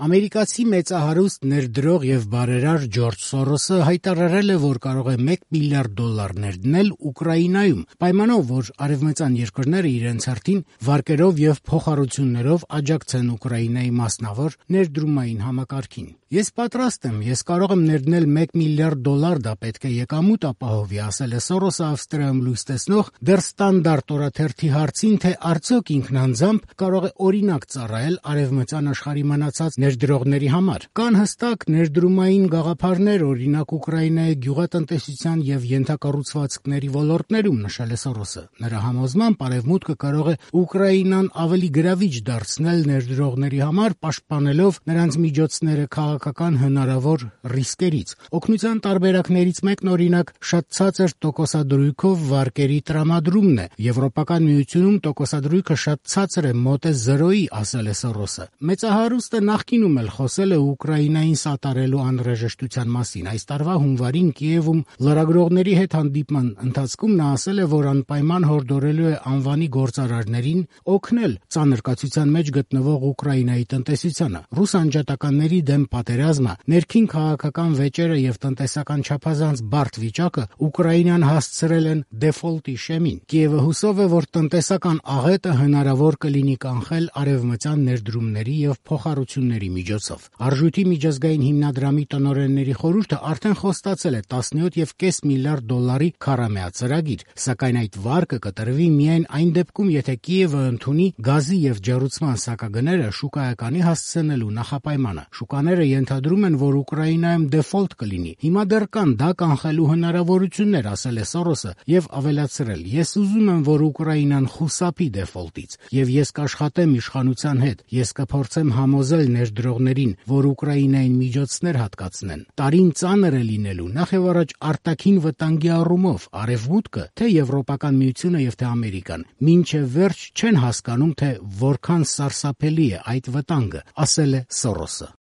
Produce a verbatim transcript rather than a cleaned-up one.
Ամերիկացի մեծահարուստ ներդրող եւ բարերար Ջորջ Սորոսը հայտարարել է, որ կարող է մեկ միլիարդ դոլար ներդնել Ուկրաինայում, պայմանով, որ արևմտյան երկրները իրենց հերթին վարկերով եւ փոխառություններով աջակցեն Ուկրաինայի մասնավոր ներդրումային համակարգին։ Ես պատրաստ եմ, ես կարող եմ ներդնել մեկ միլիարդ դոլար, դա պետք է եկամուտ ապահովի, ասել է Սորոսը Ավստրիայում լույս տեսնող դեռ Ստանդարտ օրաթերթի հարցին, թե արդյոք ինքն անձամբ կարող է օրինակ ծառայել արևմտյան աշխարհի մնացած ներդրողների համար։ Կան հստակ ներդրումային գաղափարներ, օրինակ Ուկրաինայի գյուղատնտեսության եւ ենթակառուցվածքների ոլորտներում, նշել է Սորոսը։ Նրա համոզմամբ արևմուտքը կարող է Ուկրաինան ավելի գրավիչ դարձնել ներդրողների համար, պաշտպանելով նրանց միջոցները քաղաքական հնարավոր ռիսկերից։ Օգնության տարբերակներից մեկն օրինակ շատ ցածր տոկոսադրույքով վարկերի տրամադրումն է։ Եվրոպական միությունում տոկոսադրույքը շատ ցածր է, մոտ է զրոյի, ասել է Սորոսը։ Մեծահարուստը նախկինում էլ խոսել է Ուկրաինային սատարելու անհրաժեշտության մասին։ Այս տարվա հունվարին Կիևում լրագրողների հետ հանդիպման ընթացքում նա ասել է, որ անպայման հորդորելու է անվանի գործարարներին օգնել ծանր կացության մեջ գտնվող Ուկրաինայի տնտեսությանը։ Ռուս անջատականների դեմ պատերազմը, ներքին քաղաքական վեճերը եւ տնտեսական չափազանց բարդ վիճակը Ուկրաինան հասցրել են դեֆոլտի շեմին։ Կիևը հուսով է, որ տնտեսական աղետը հնարավոր կլինի կանխել արևմտյան ներդրումների եւ փոխառությունների միջոցով։ Արժույթի միջազգային հիմնադրամի տնօրենների խորհուրդը արդեն խոստացել է տասնյոթ եւ կես միլիարդ դոլարի քառամյա ծրագիր, սակայն այդ վարկը կտրվի միայն այն դեպքում, եթե Կիևը ընդունի գազի եւ ջեռուցման սակագները շուկայականի հասցնելու նախապայմանը։ Շուկաները ենթադրում են, որ Ուկրաինայում դեֆոլտ կլինի։ Հիմա դեռ կան դա կանխելու հնարավորություններ, ասել է Սորոսը եւ ավելացրել. Ես ուզում եմ, որ Ուկրաինան խուսափի դեֆոլտից եւ ես կաշխատեմ իշխանության հետ։ Ես կփորձեմ համոզել ներդրողներին, որ Ուկրաինային միջոցներ հատկացնեն։ Տարին ծանր է լինելու, նախ եւ առաջ արտաքին վտանգի առումով, արևմուտքը, թե Եվրոպական միությունը եւ թե Ամերիկան մինչեւ վերջ չեն հասկանում, թե որքան սարսափելի է այդ վտանգը, ասել է Սորոսը։